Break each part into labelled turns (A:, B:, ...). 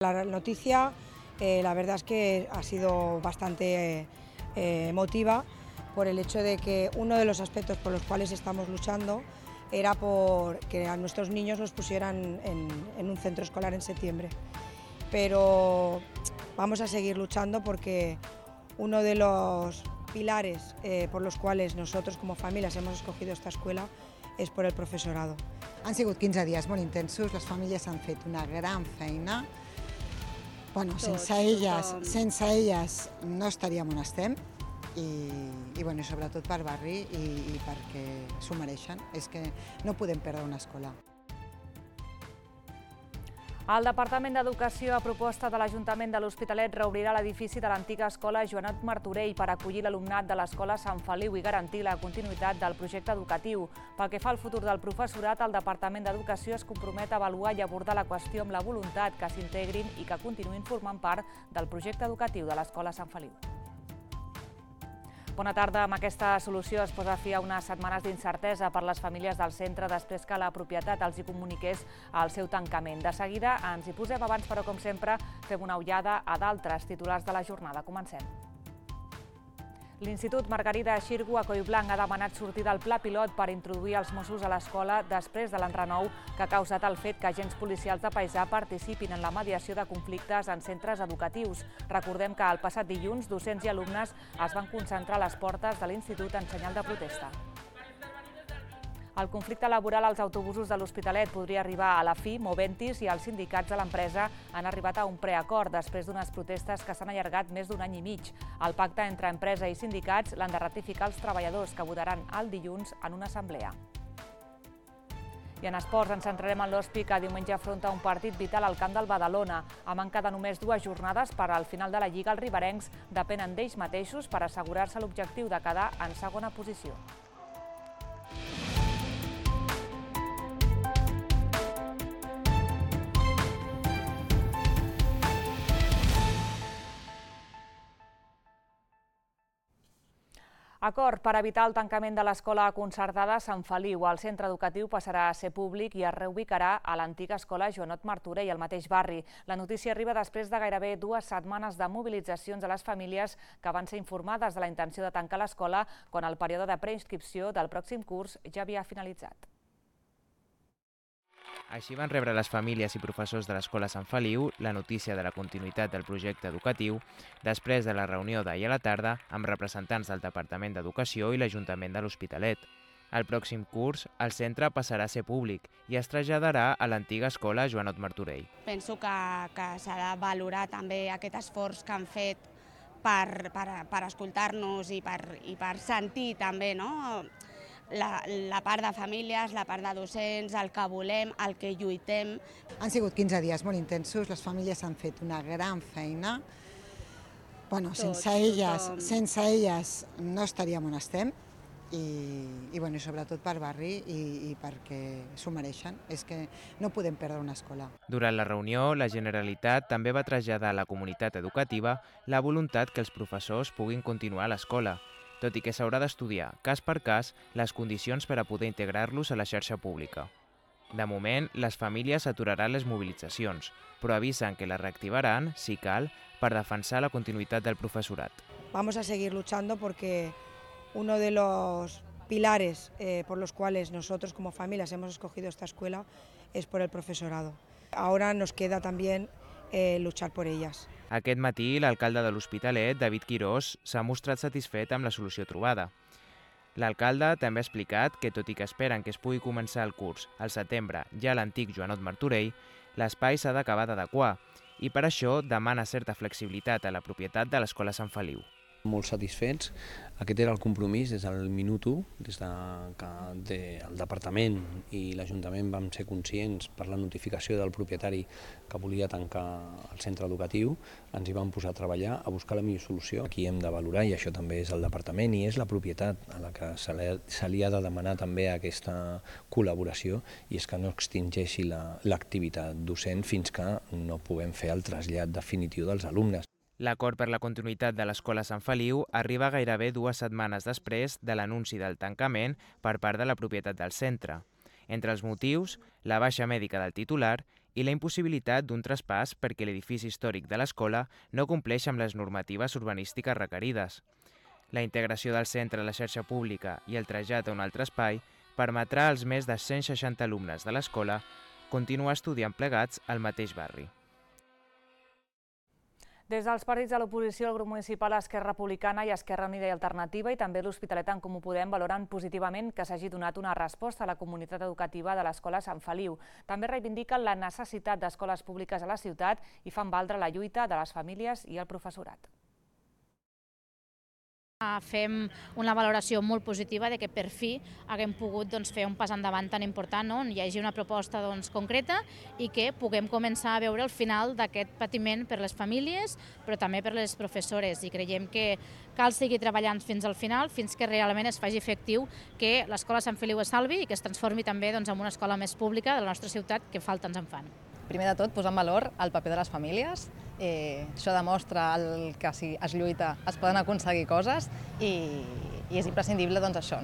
A: La noticia, la verdad es que ha sido bastante emotiva por el hecho de que uno de los aspectos por los cuales estamos luchando era por que a nuestros niños los pusieran en un centro escolar en septiembre. Pero vamos a seguir luchando porque uno de los pilares por los cuales nosotros como familias hemos escogido esta escuela és per el professorado.
B: Han sigut 15 dies molt intensos, les famílies han fet una gran feina. Bueno, sense elles no estaríem on estem i sobretot per barri i perquè s'ho mereixen. És que no podem perdre una escola.
C: El Departament d'Educació, a proposta de l'Ajuntament de l'Hospitalet, reobrirà l'edifici de l'antiga escola Joanot Martorell per acollir l'alumnat de l'escola Sant Feliu i garantir la continuïtat del projecte educatiu. Pel que fa al futur del professorat, el Departament d'Educació es compromet a avaluar i abordar la qüestió amb la voluntat que s'integrin i que continuïn formant part del projecte educatiu de l'escola Sant Feliu. Bona tarda. Amb aquesta solució es posa fi a unes setmanes d'incertesa per les famílies del centre després que la propietat els hi comuniqués el seu tancament. De seguida ens hi posem abans, però com sempre fem una ullada a d'altres titulars de la jornada. Comencem. L'Institut Margarida Xirgu a Collblanc ha demanat sortir del pla pilot per introduir els Mossos a l'escola després de l'enrenou que ha causat el fet que agents policials de paisà participin en la mediació de conflictes en centres educatius. Recordem que el passat dilluns docents i alumnes es van concentrar a les portes de l'institut en senyal de protesta. El conflicte laboral als autobusos de l'Hospitalet podria arribar a la fi. Moventis i els sindicats de l'empresa han arribat a un preacord després d'unes protestes que s'han allargat més d'un any i mig. El pacte entre empresa i sindicats l'han de ratificar els treballadors, que votaran el dilluns en una assemblea. I en esports ens centrarem en l'Hospi, que diumenge afronta un partit vital al camp del Badalona. A manca de només 2 jornades per al final de la Lliga, els riberencs depenen d'ells mateixos per assegurar-se l'objectiu de quedar en segona posició. Acord per evitar el tancament de l'escola concertada Sant Feliu. El centre educatiu passarà a ser públic i es reubicarà a l'antiga escola Joanot Martorell, al mateix barri. La notícia arriba després de gairebé 2 setmanes de mobilitzacions de les famílies que van ser informades de la intenció de tancar l'escola quan el període de preinscripció del pròxim curs ja havia finalitzat.
D: Així van rebre les famílies i professors de l'escola Sant Feliu la notícia de la continuïtat del projecte educatiu després de la reunió d'ahir a la tarda amb representants del Departament d'Educació i l'Ajuntament de l'Hospitalet. El pròxim curs, el centre passarà a ser públic i es traslladarà a l'antiga escola Joanot Martorell.
E: Penso que s'ha de valorar també aquest esforç que han fet per escoltar-nos i per sentir també, no?, la part de famílies, la part de docents, el que volem, el que lluitem.
B: Han sigut 15 dies molt intensos, les famílies han fet una gran feina. Bueno, sense elles no estaríem on estem i sobretot per barri i perquè s'ho mereixen. És que no podem perdre una escola.
D: Durant la reunió, la Generalitat també va traslladar a la comunitat educativa la voluntat que els professors puguin continuar a l'escola, tot i que s'haurà d'estudiar, cas per cas, les condicions per a poder integrar-los a la xarxa pública. De moment, les famílies aturaran les mobilitzacions, però avisen que les reactivaran, si cal, per defensar la continuïtat del professorat.
A: Vamos a seguir luchando porque uno de los pilares por los cuales nosotros como familias hemos escogido esta escuela es por el profesorado. Ahora nos queda también luchar por ellas.
D: Aquest matí, l'alcalde de l'Hospitalet, David Quirós, s'ha mostrat satisfet amb la solució trobada. L'alcalde també ha explicat que, tot i que esperen que es pugui començar el curs al setembre ja a l'antic Joanot Martorell, l'espai s'ha d'acabar d'adequar i per això demana certa flexibilitat a la propietat de l'escola Sant Feliu.
F: Molt satisfets. Aquest era el compromís des del minut 1, des que el departament i l'Ajuntament vam ser conscients per la notificació del propietari que volia tancar el centre educatiu, ens hi vam posar a treballar, a buscar la millor solució. Aquí hem de valorar, i això també és el departament i és la propietat a la que se li ha de demanar també aquesta col·laboració, i és que no extingeixi l'activitat docent fins que no puguem fer el trasllat definitiu dels alumnes.
D: L'acord per la continuïtat de l'escola Sant Feliu arriba gairebé 2 setmanes després de l'anunci del tancament per part de la propietat del centre. Entre els motius, la baixa mèdica del titular i la impossibilitat d'un traspàs perquè l'edifici històric de l'escola no compleix amb les normatives urbanístiques requerides. La integració del centre a la xarxa pública i el trasllat a un altre espai permetrà als més de 160 alumnes de l'escola continuar estudiant plegats al mateix barri.
C: Des dels partits de l'oposició, el grup municipal Esquerra Republicana i Esquerra Unida i Alternativa i també l'Hospitalet en Comú Podem valoren positivament que s'hagi donat una resposta a la comunitat educativa de l'Escola Sant Feliu. També reivindiquen la necessitat d'escoles públiques a la ciutat i fan valdre la lluita de les famílies i el professorat.
G: Fem una valoració molt positiva de que per fi haguem pogut fer un pas endavant tan important, on hi hagi una proposta concreta i que puguem començar a veure el final d'aquest patiment per les famílies, però també per les professores. I creiem que cal seguir treballant fins al final, fins que realment es faci efectiu que l'Escola Sant Feliu es salvi i que es transformi també en una escola més pública de la nostra ciutat, que falta ens en fan.
H: Primer de tot, posar en valor el paper de les famílies. Això demostra que si es lluita es poden aconseguir coses i és imprescindible això,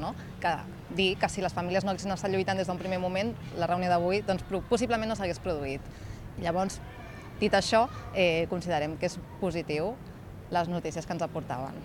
H: dir que si les famílies no haguessin estat lluitant des d'un primer moment, la reunió d'avui possiblement no s'hagués produït. Llavors, dit això, considerem que és positiu les notícies que ens aportaven.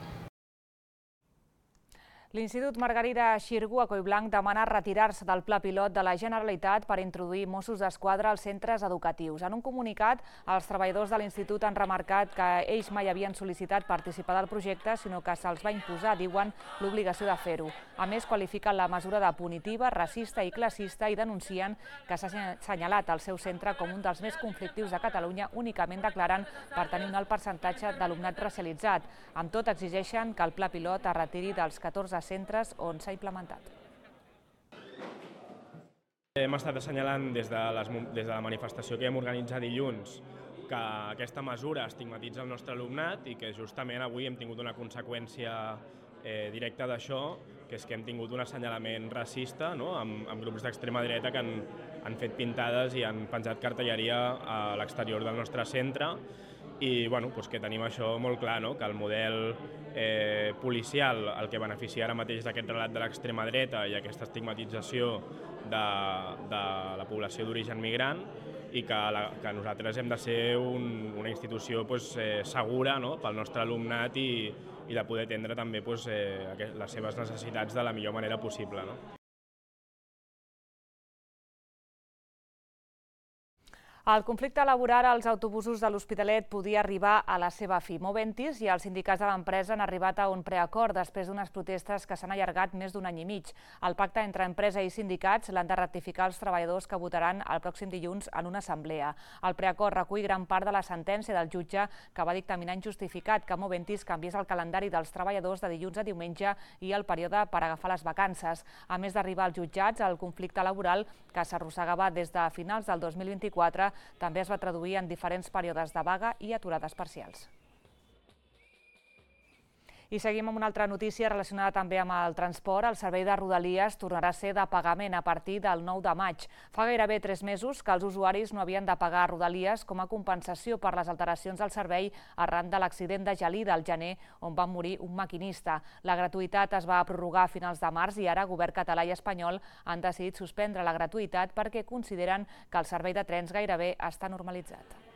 C: L'Institut Margarida Xirgu a Collblanc demana retirar-se del pla pilot de la Generalitat per introduir Mossos d'Esquadra als centres educatius. En un comunicat, els treballadors de l'Institut han remarcat que ells mai havien sol·licitat participar del projecte, sinó que se'ls va imposar, diuen, l'obligació de fer-ho. A més, qualifiquen la mesura de punitiva, racista i classista i denuncien que s'ha assenyalat el seu centre com un dels més conflictius de Catalunya, únicament declarant per tenir un alt percentatge d'alumnat racialitzat. Amb tot, exigeixen que el pla pilot es retiri dels 14 centres on s'ha implementat.
I: Hem estat assenyalant des de la manifestació que hem organitzat dilluns que aquesta mesura estigmatitza el nostre alumnat i que justament avui hem tingut una conseqüència directa d'això, que és que hem tingut un assenyalament racista amb grups d'extrema dreta que han fet pintades i han penjat cartelleria a l'exterior del nostre centre. I que tenim això molt clar, que el model policial el que beneficia ara mateix d'aquest relat de l'extrema dreta i aquesta estigmatització de la població d'origen migrant i que nosaltres hem de ser una institució segura pel nostre alumnat i de poder atendre també les seves necessitats de la millor manera possible.
C: El conflicte laboral als autobusos de l'Hospitalet podia arribar a la seva fi. Moventis i els sindicats de l'empresa han arribat a un preacord després d'unes protestes que s'han allargat més d'un any i mig. El pacte entre empresa i sindicats l'han de ratificar els treballadors que votaran el pròxim dilluns en una assemblea. El preacord recull gran part de la sentència del jutge que va dictaminar injustificat que Moventis canviés el calendari dels treballadors de dilluns a diumenge i el període per agafar les vacances. A més d'arribar als jutjats, el conflicte laboral que s'arrossegava des de finals del 2024 també es va traduir en diferents períodes de vaga i aturades parcials. I seguim amb una altra notícia relacionada també amb el transport. El servei de Rodalies tornarà a ser de pagament a partir del 9 de maig. Fa gairebé 3 mesos que els usuaris no havien de pagar Rodalies com a compensació per les alteracions del servei arran de l'accident de Gelida al gener, on va morir un maquinista. La gratuïtat es va prorrogar a finals de març i ara govern català i espanyol han decidit suspendre la gratuïtat perquè consideren que el servei de trens gairebé està normalitzat.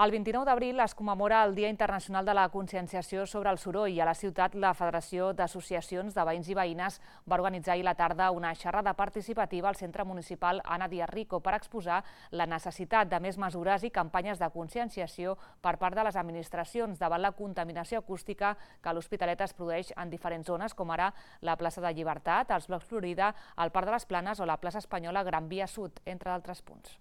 C: El 29 d'abril es commemora el Dia Internacional de la Conscienciació sobre el Soroll. A la ciutat, la Federació d'Associacions de Veïns i Veïnes va organitzar ahir a la tarda una xerrada participativa al Centre Municipal Ana Díaz Rico per exposar la necessitat de més mesures i campanyes de conscienciació per part de les administracions davant la contaminació acústica que a l'Hospitalet es produeix en diferents zones, com ara la plaça de Llibertat, els blocs Florida, el Parc de les Planes o la plaça Espanyola Gran Via Sud, entre d'altres punts.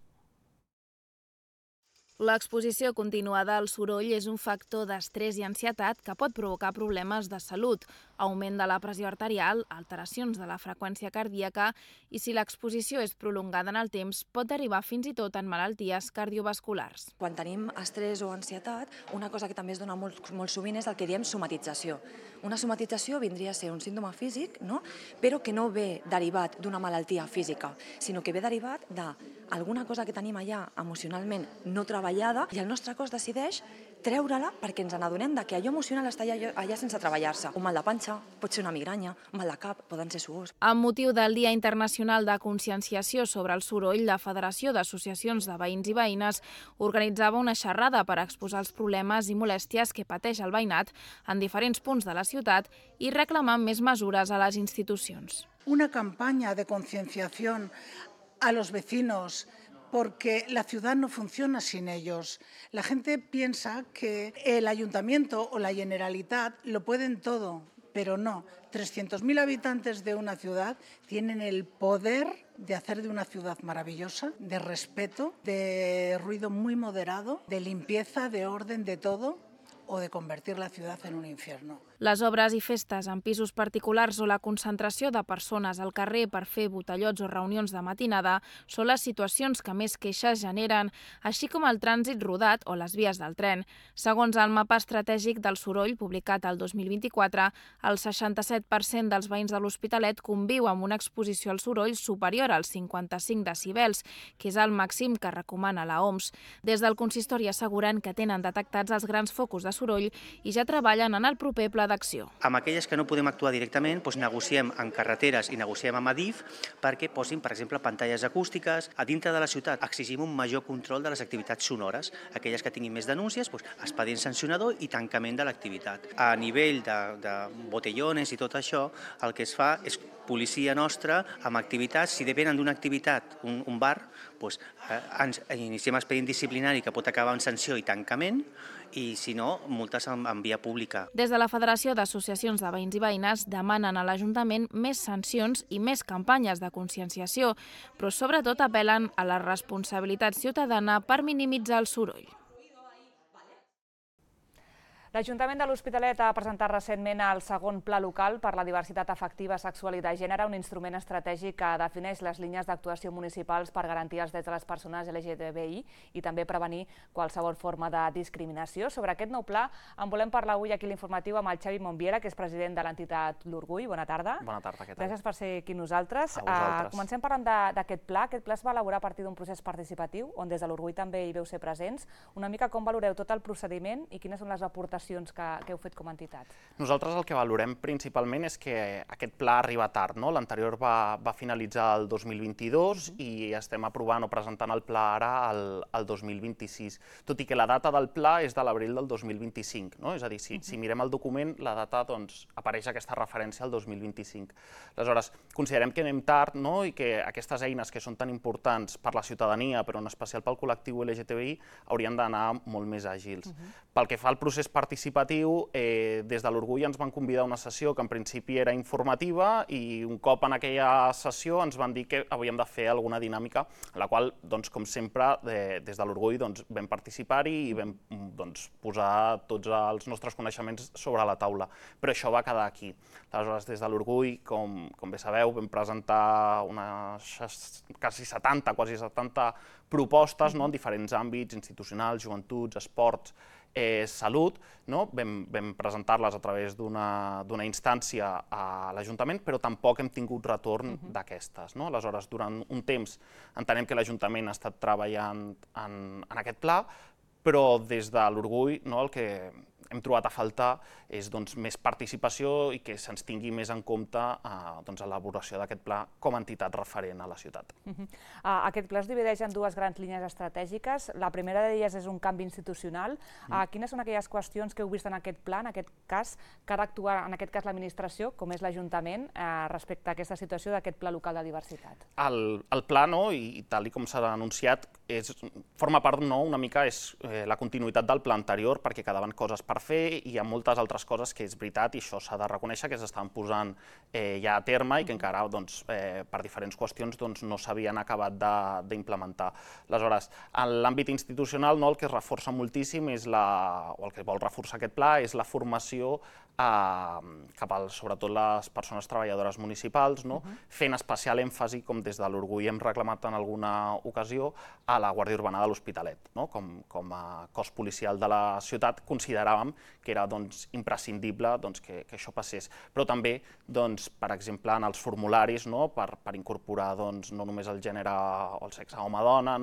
J: L'exposició continuada al soroll és un factor d'estrès i ansietat que pot provocar problemes de salut, augment de la pressió arterial, alteracions de la freqüència cardíaca i, si l'exposició és prolongada en el temps, pot derivar fins i tot en malalties cardiovasculars.
K: Quan tenim estrès o ansietat, una cosa que també es dona molt sovint és el que diem somatització. Una somatització vindria a ser un símptoma físic, però que no ve derivat d'una malaltia física, sinó que ve derivat d'alguna cosa que tenim allà emocionalment no treballada treballada i el nostre cos decideix treure-la perquè ens n'adonem que allò emocional està allà sense treballar-se. Un mal de panxa, pot ser una migranya, un mal de cap, poden ser suors.
J: Amb motiu del Dia Internacional de Conscienciació sobre el Soroll, la Federació d'Associacions de Veïns i Veïnes organitzava una xerrada per exposar els problemes i molèsties que pateix el veïnat en diferents punts de la ciutat i reclamar més mesures a les institucions.
L: Una campaña de concienciación a los vecinos porque la ciudad no funciona sin ellos. La gente piensa que el ayuntamiento o la Generalitat lo pueden todo, pero no. 300.000 habitantes de una ciudad tienen el poder de hacer de una ciudad maravillosa, de respeto, de ruido muy moderado, de limpieza, de orden, de todo, o de convertir la ciudad en un infierno.
J: Les obres i festes en pisos particulars o la concentració de persones al carrer per fer botellots o reunions de matinada són les situacions que més queixes generen, així com el trànsit rodat o les vies del tren. Segons el mapa estratègic del soroll publicat el 2024, el 67% dels veïns de l'Hospitalet conviu amb una exposició al soroll superior als 55 decibels, que és el màxim que recomana la OMS. Des del consistori asseguren que tenen detectats els grans focus de soroll i ja treballen en el proper pla d'acció.
M: Amb aquelles que no podem actuar directament, negociem en carreteres i negociem amb Adif perquè posin, per exemple, pantalles acústiques. A dintre de la ciutat exigim un major control de les activitats sonores. Aquelles que tinguin més denúncies, expedient sancionador i tancament de l'activitat. A nivell de botellones i tot això, el que es fa és policia nostra amb activitats. Si depenen d'una activitat, un bar, iniciem expedient disciplinari que pot acabar en sanció i tancament, i si no, multes en via pública.
J: Des de la Federació d'Associacions de Veïns i Veïnes demanen a l'Ajuntament més sancions i més campanyes de conscienciació, però sobretot apel·len a la responsabilitat ciutadana per minimitzar el soroll.
C: L'Ajuntament de l'Hospitalet ha presentat recentment el segon Pla Local per la Diversitat Afectiva, Sexual i de Gènere, un instrument estratègic que defineix les línies d'actuació municipals per garantir els drets de les persones LGTBI i també prevenir qualsevol forma de discriminació. Sobre aquest nou pla en volem parlar avui aquí a l'Informatiu amb el Xavi Montviera, que és president de l'entitat L'Orgull. Bona tarda.
N: Bona tarda, què tal?
C: Gràcies per ser aquí nosaltres.
N: A vosaltres.
C: Comencem parlant d'aquest pla. Aquest pla es va elaborar a partir d'un procés participatiu, on des de l'Orgull també hi veu ser presents. Una mica com valoreu tot el procediment i quines són les aportacions que heu fet com a entitat?
N: Nosaltres el que valorem principalment és que aquest pla arriba tard. L'anterior va finalitzar el 2022 i estem aprovant o presentant el pla ara el 2026, tot i que la data del pla és de l'abril del 2025. És a dir, si mirem el document, la data apareix aquesta referència al 2025. Aleshores, considerem que anem tard i que aquestes eines que són tan importants per la ciutadania, però en especial pel col·lectiu LGTBI, haurien d'anar molt més àgils. Pel que fa al procés participatiu, des de l'Orgull ens van convidar a una sessió que en principi era informativa i un cop en aquella sessió ens van dir que havíem de fer alguna dinàmica, en la qual, com sempre, des de l'Orgull vam participar-hi i vam posar tots els nostres coneixements sobre la taula. Però això va quedar aquí. Aleshores, des de l'Orgull, com bé sabeu, vam presentar quasi 70 propostes en diferents àmbits, institucionals, joventuts, esports, salut, vam presentar-les a través d'una instància a l'Ajuntament, però tampoc hem tingut retorn d'aquestes. Aleshores, durant un temps entenem que l'Ajuntament ha estat treballant en aquest pla, però des de l'Orgull el que hem trobat a faltar és més participació i que se'ns tingui més en compte a l'elaboració d'aquest pla com a entitat referent a la ciutat.
C: Aquest pla es divideix en dues grans línies estratègiques. La primera d'elles és un canvi institucional. Quines són aquelles qüestions que heu vist en aquest pla, en aquest cas, que ha d'actuar, en aquest cas, l'administració, com és l'Ajuntament, respecte a aquesta situació d'aquest Pla Local de Diversitat?
N: El pla, i tal com s'ha anunciat, forma part una mica la continuïtat del pla anterior, perquè quedaven coses per fer i hi ha moltes altres coses que és veritat i això s'ha de reconèixer que s'estan posant ja a terme i que encara per diferents qüestions no s'havien acabat d'implementar. Aleshores, en l'àmbit institucional el que es reforça moltíssim o el que vol reforçar aquest pla és la formació cap a sobretot les persones treballadores municipals, fent especial èmfasi, com des de l'Orgull hem reclamat en alguna ocasió, a la Guàrdia Urbana de l'Hospitalet. Com a cos policial de la ciutat consideràvem que era imprescindible que això passés. Però també, per exemple, en els formularis, per incorporar no només el gènere o el sexe home-dona,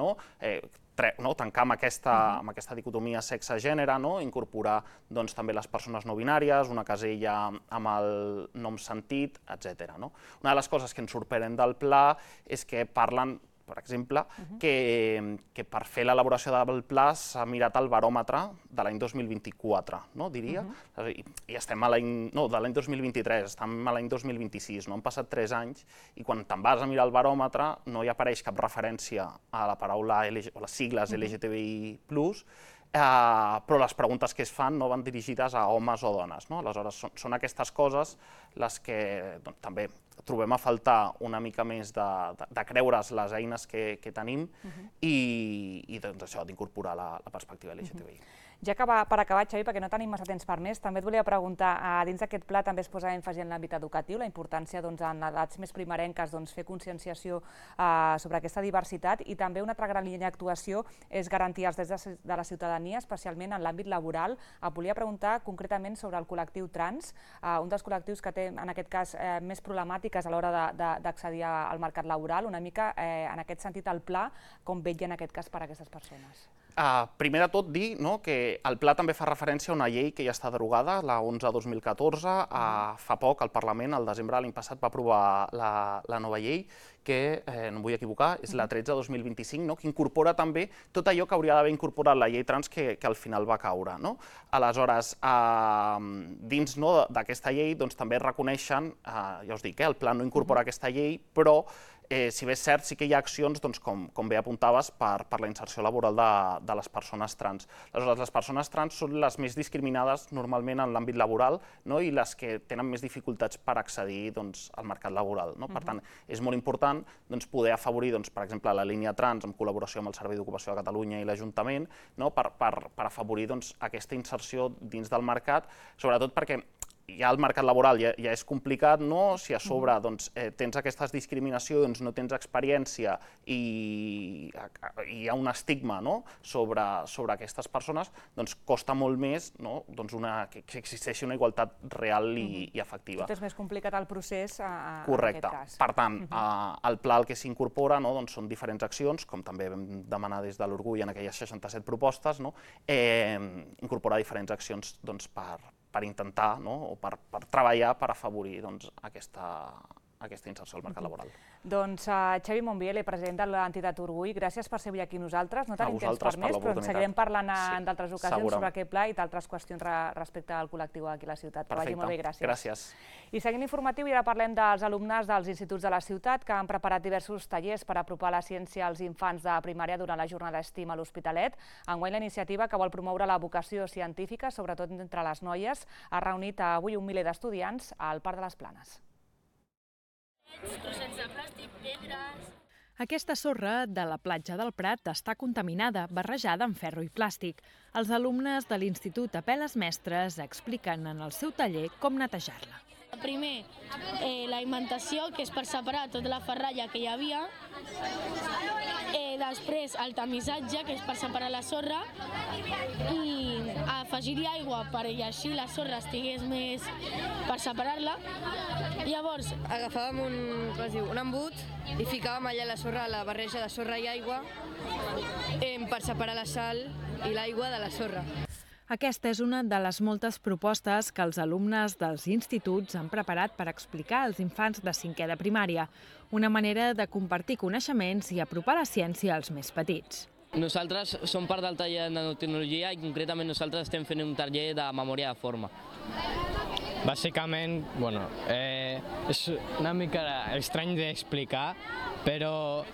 N: tancar amb aquesta dicotomia sexe-gènere, incorporar també les persones no binàries, una casella amb el nom sentit, etc. Una de les coses que ens sorprèn del pla és que parlen, per exemple, que per fer l'elaboració del pla s'ha mirat el baròmetre de l'any 2024, diria, i estem a l'any... No, de l'any 2023, estem a l'any 2026, han passat 3 anys, i quan te'n vas a mirar el baròmetre no hi apareix cap referència a la paraula o les sigles LGTBI+, però les preguntes que es fan no van dirigides a homes o dones. Aleshores, són aquestes coses les que també trobem a faltar una mica més de creure's les eines que tenim i això, d'incorporar la perspectiva LGTBI.
C: Ja per acabar, Xavi, perquè no tenim massa temps per més, també et volia preguntar, dins d'aquest pla també es posa èmfasi en l'àmbit educatiu, la importància en edats més primerenques fer conscienciació sobre aquesta diversitat, i també una altra gran línia d'actuació és garantir els drets de la ciutadania, especialment en l'àmbit laboral. Et volia preguntar concretament sobre el col·lectiu trans, un dels col·lectius que té, en aquest cas, més problemàtiques a l'hora d'accedir al mercat laboral. Una mica, en aquest sentit, el pla, com vetlla en aquest cas per a aquestes persones?
N: Primer de tot dir que el pla també fa referència a una llei que ja està derogada, la 11/2014. Fa poc el Parlament, al desembre de l'any passat, va aprovar la nova llei, que, no em vull equivocar, és la 13/2025, que incorpora també tot allò que hauria d'haver incorporat la llei trans que al final va caure. Aleshores, dins d'aquesta llei també reconeixen, ja us dic, el pla no incorpora aquesta llei, però si bé és cert, sí que hi ha accions, com bé apuntaves, per la inserció laboral de les persones trans. Aleshores, les persones trans són les més discriminades normalment en l'àmbit laboral i les que tenen més dificultats per accedir al mercat laboral. Per tant, és molt important poder afavorir, per exemple, la línia trans en col·laboració amb el Servei d'Ocupació de Catalunya i l'Ajuntament per afavorir aquesta inserció dins del mercat, sobretot perquè ja el mercat laboral ja és complicat, si a sobre tens aquestes discriminacions, no tens experiència i hi ha un estigma sobre aquestes persones, costa molt més que existeixi una igualtat real i efectiva.
C: Tot és més complicat el procés en aquest cas.
N: Correcte. Per tant, el pla el que s'incorpora són diferents accions, com també vam demanar des de l'Orgull en aquelles 67 propostes, incorporar diferents accions per intentar o per treballar per afavorir aquesta inserció al mercat laboral.
C: Doncs Xavi Monbiele, president de l'entitat Orgull, gràcies per ser avui aquí amb nosaltres. No tenim temps per més, però en seguirem parlant en d'altres ocasions sobre aquest pla i d'altres qüestions respecte al col·lectiu aquí a la ciutat. Que vagi molt bé, gràcies.
N: Gràcies.
C: I seguint informatiu, i ara parlem dels alumnes dels instituts de la ciutat que han preparat diversos tallers per apropar la ciència als infants de primària durant la jornada STEAM a l'Hospitalet. Enguany, la iniciativa, que vol promoure la vocació científica, sobretot entre les noies, ha reunit avui un miler d'estudiants al Parc de les Planes.
O: Aquesta sorra de la platja del Prat està contaminada, barrejada amb ferro i plàstic. Els alumnes de l'Institut Apel·les Mestres expliquen en el seu taller com netejar-la.
P: Primer, l'alimentació, que és per separar tota la ferralla que hi havia. Després, el tamissatge, que és per separar la sorra. I afegir-hi aigua perquè així la sorra estigués més per separar-la. Llavors,
Q: agafàvem un embut i ficàvem allà la sorra, la barreja de sorra i aigua per separar la sal i l'aigua de la sorra.
O: Aquesta és una de les moltes propostes que els alumnes dels instituts han preparat per explicar als infants de 5è de primària, una manera de compartir coneixements i apropar la ciència als més petits.
R: Nosaltres som part del taller de nanotecnologia i concretament nosaltres estem fent un taller de memòria de forma.
S: Bàsicament, és una mica estrany d'explicar, però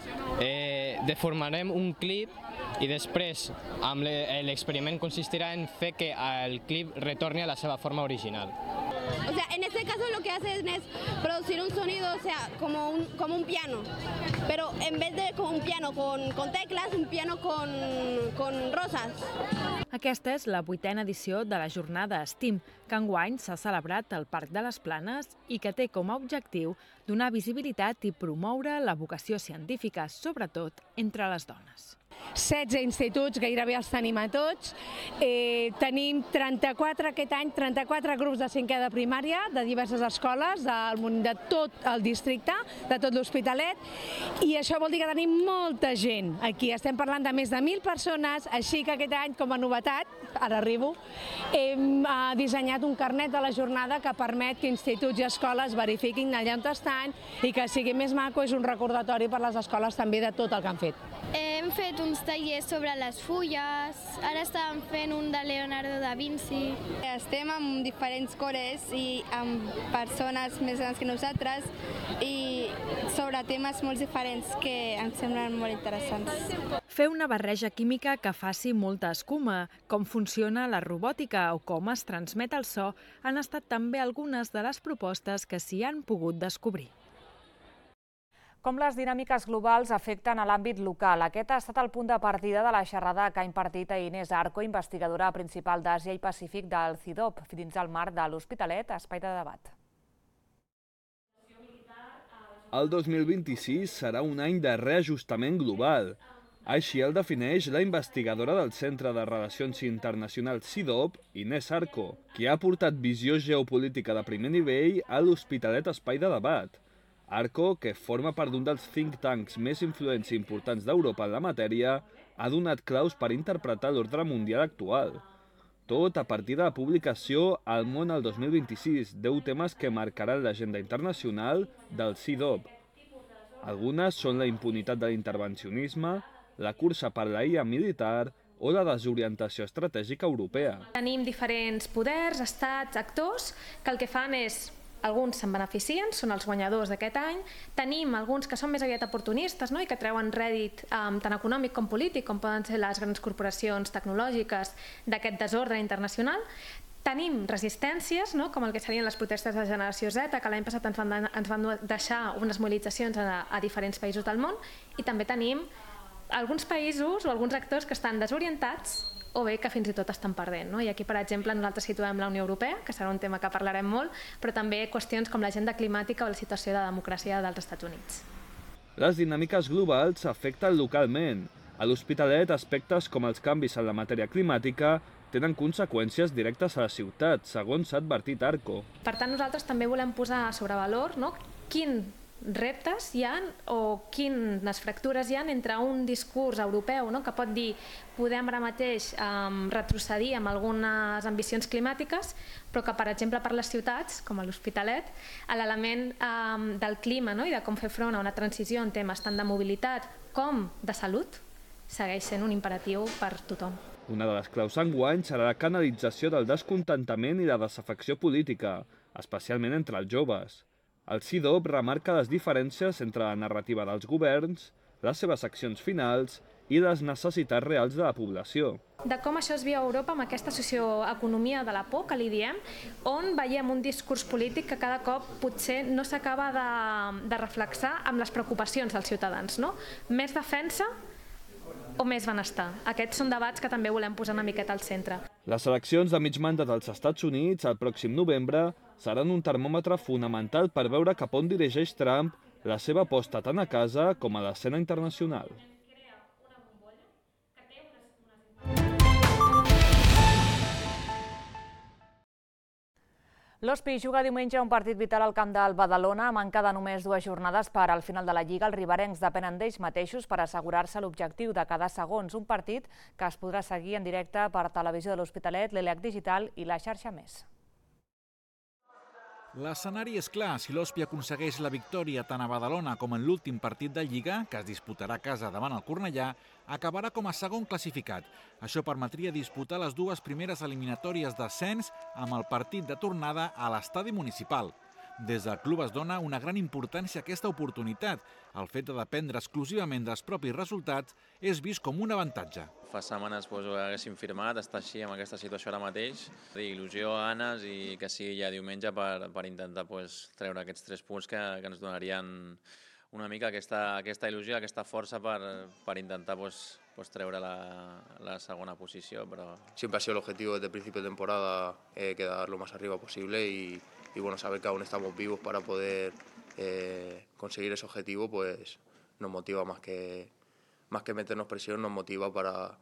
S: deformarem un clip i després l'experiment consistirà en fer que el clip retorni a la seva forma original.
T: O sea, en este caso lo que hacen es producir un sonido, o sea, como un piano, pero en vez de con un piano con teclas, un piano con rosas.
O: Aquesta és la 8a edició de la jornada STEAM, que enguany s'ha celebrat al Parc de les Planes i que té com a objectiu donar visibilitat i promoure la vocació científica, sobretot entre les dones.
U: 16 instituts, gairebé els tenim a tots. Tenim 34 aquest any, 34 grups de 5è de primària de diverses escoles de tot el districte, de tot l'Hospitalet, i això vol dir que tenim molta gent aquí. Estem parlant de més de 1.000 persones, així que aquest any, com a novetat, ara arribo, hem dissenyat un carnet de la jornada que permet que instituts i escoles verifiquin allà on estan i que sigui més maco. És un recordatori per les escoles també de tot el que han fet.
P: Hem fet uns tallers sobre les fulles, ara estàvem fent un de Leonardo da Vinci.
T: Estem amb diferents cores i amb persones més grans que nosaltres i sobre temes molt diferents que ens semblen molt interessants.
O: Fer una barreja química que faci molta escuma, com funciona la robòtica o com es transmet el so han estat també algunes de les propostes que s'hi han pogut descobrir.
C: Com les dinàmiques globals afecten a l'àmbit local. Aquest ha estat el punt de partida de la xerrada que ha impartit a Inés Arco, investigadora principal d'Àsia i Pacífic del CIDOB, dins el marc de l'Hospitalet, espai de debat.
V: El 2026 serà un any de reajustament global. Així el defineix la investigadora del Centre de Relacions Internacionals CIDOB, Inés Arco, que ha aportat visió geopolítica de primer nivell a l'Hospitalet espai de debat. Arco, que forma part d'un dels think tanks més influents i importants d'Europa en la matèria, ha donat claus per interpretar l'ordre mundial actual. Tot a partir de la publicació El món al 2026, 10 temes que marcaran l'agenda internacional del CIDOB. Algunes són la impunitat de l'intervencionisme, la cursa per la IA militar o la desorientació estratègica europea.
W: Tenim diferents poders, estats, actors, que el que fan és alguns se'n beneficien, són els guanyadors d'aquest any. Tenim alguns que són més aviat oportunistes i que treuen rèdit tant econòmic com polític, com poden ser les grans corporacions tecnològiques d'aquest desordre internacional. Tenim resistències, com el que serien les protestes de generació Z, que l'any passat ens van deixar unes mobilitzacions a diferents països del món, i també tenim alguns països o alguns actors que estan desorientats o bé que fins i tot estan perdent. I aquí, per exemple, nosaltres situem la Unió Europea, que serà un tema que parlarem molt, però també qüestions com l'agenda climàtica o la situació de democràcia dels Estats Units.
V: Les dinàmiques globals afecten localment. A l'Hospitalet, aspectes com els canvis en la matèria climàtica tenen conseqüències directes a la ciutat, segons s'ha advertit Arco.
W: Per tant, nosaltres també volem posar sobre valor quin reptes hi ha o quines fractures hi ha entre un discurs europeu que pot dir podem ara mateix retrocedir amb algunes ambicions climàtiques, però que, per exemple, per les ciutats, com a l'Hospitalet, l'element del clima i de com fer front a una transició en temes tant de mobilitat com de salut segueix sent un imperatiu per tothom.
V: Una de les claus enguany serà la canalització del descontentament i la desafecció política, especialment entre els joves. El CIDOB remarca les diferències entre la narrativa dels governs, les seves accions finals i les necessitats reals de la població.
W: De com això es viu a Europa amb aquesta socioeconomia de la por, que li diem, on veiem un discurs polític que cada cop potser no s'acaba de reflexar amb les preocupacions dels ciutadans. Més defensa o més benestar? Aquests són debats que també volem posar una miqueta al centre.
V: Les eleccions de mig mandat als Estats Units el pròxim novembre seran un termòmetre fonamental per veure cap on dirigeix Trump la seva aposta tant a casa com a l'escena internacional.
C: L'Hospi juga diumenge un partit vital al camp del Badalona a manca de només 2 jornades per al final de la Lliga. Els riberencs depenen d'ells mateixos per assegurar-se l'objectiu de cada segons. Un partit que es podrà seguir en directe per televisió de l'Hospitalet, l'ELEC Digital i la xarxa Més.
X: L'escenari és clar. Si l'Hospi aconsegueix la victòria tant a Badalona com en l'últim partit de Lliga, que es disputarà a casa davant el Cornellà, acabarà com a segon classificat. Això permetria disputar les 2 primeres eliminatòries d'ascens amb el partit de tornada a l'estadi municipal. Des del club es dona una gran importància a aquesta oportunitat. El fet de dependre exclusivament dels propis resultats és vist com un avantatge.
Y: Fa setmanes ho haguéssim firmat, estar així en aquesta situació ara mateix. Il·lusió, ganes i que sigui ja diumenge per intentar treure aquests 3 punts que ens donarien una mica aquesta il·lusió, aquesta força per intentar treure la segona posició.
Z: Siempre ha sido el objetivo desde el principio de temporada quedar lo más arriba posible y saber que aún estamos vivos para poder conseguir ese objetivo nos motiva más más que meternos presión, nos motiva para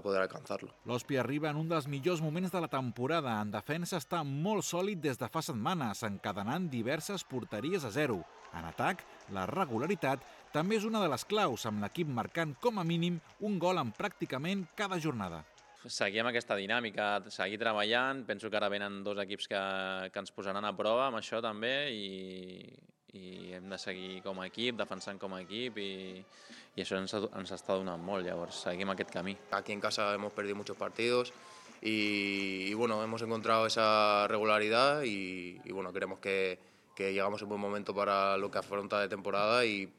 Z: poder alcanzarlo.
X: L'Ospi arriba en un dels millors moments de la temporada. En defensa està molt sòlid des de fa setmanes, encadenant diverses porteries a 0. En atac, la regularitat també és una de les claus, amb l'equip marcant com a mínim un gol en pràcticament cada jornada.
Y: Seguir amb aquesta dinàmica, seguir treballant. Penso que ara venen 2 equips que ens posaran a prova amb això també i hem de seguir com a equip, defensant com a equip i això ens està donant molt, llavors seguim aquest camí.
Z: Aquí en casa hemos perdido muchos partidos y bueno, hemos encontrado esa regularidad y bueno, creemos que llegamos en buen momento para lo que afronta de temporada y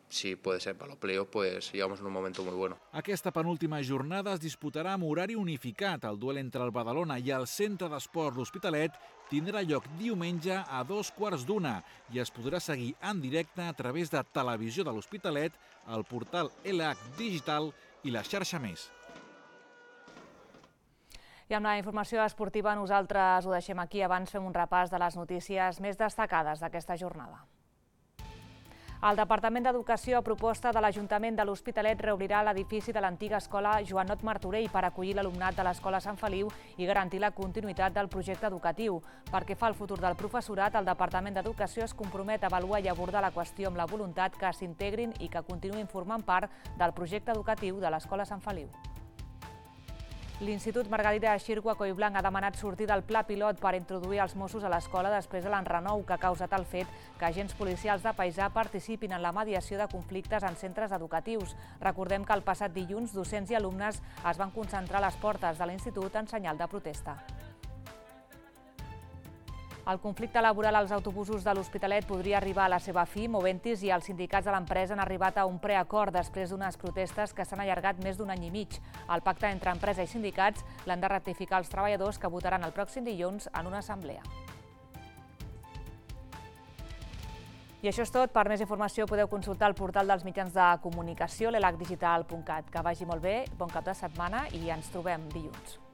Z: si puede ser para los playoffs, pues llegamos en un momento muy bueno.
X: Aquesta penúltima jornada es disputarà amb horari unificat. El duel entre el Badalona i el Centre d'Esport L'Hospitalet tindrà lloc diumenge a 2:15 i es podrà seguir en directe a través de Televisió de l'Hospitalet, el portal LH Digital i la xarxa Més.
C: I amb la informació esportiva nosaltres ho deixem aquí. Abans fem un repàs de les notícies més destacades d'aquesta jornada. El Departament d'Educació, a proposta de l'Ajuntament de l'Hospitalet, reobrirà l'edifici de l'antiga escola Joanot Martorell per acollir l'alumnat de l'escola Sant Feliu i garantir la continuïtat del projecte educatiu. Pel que fa al futur del professorat, el Departament d'Educació es compromet a avaluar i abordar la qüestió amb la voluntat que s'integrin i que continuïn formant part del projecte educatiu de l'escola Sant Feliu. L'Institut Margarida Xirgu a Collblanc ha demanat sortir del pla pilot per introduir els Mossos a l'escola després de l'enrenou que ha causat el fet que agents policials de paisà participin en la mediació de conflictes en centres educatius. Recordem que el passat dilluns docents i alumnes es van concentrar a les portes de l'institut en senyal de protesta. El conflicte laboral als autobusos de l'Hospitalet podria arribar a la seva fi. Moventis i els sindicats de l'empresa han arribat a un preacord després d'unes protestes que s'han allargat més d'un any i mig. El pacte entre empresa i sindicats l'han de ratificar els treballadors, que votaran el pròxim dilluns en una assemblea. I això és tot. Per més informació podeu consultar el portal dels mitjans de comunicació, l'elhdigital.cat. Que vagi molt bé, bon cap de setmana i ens trobem dilluns.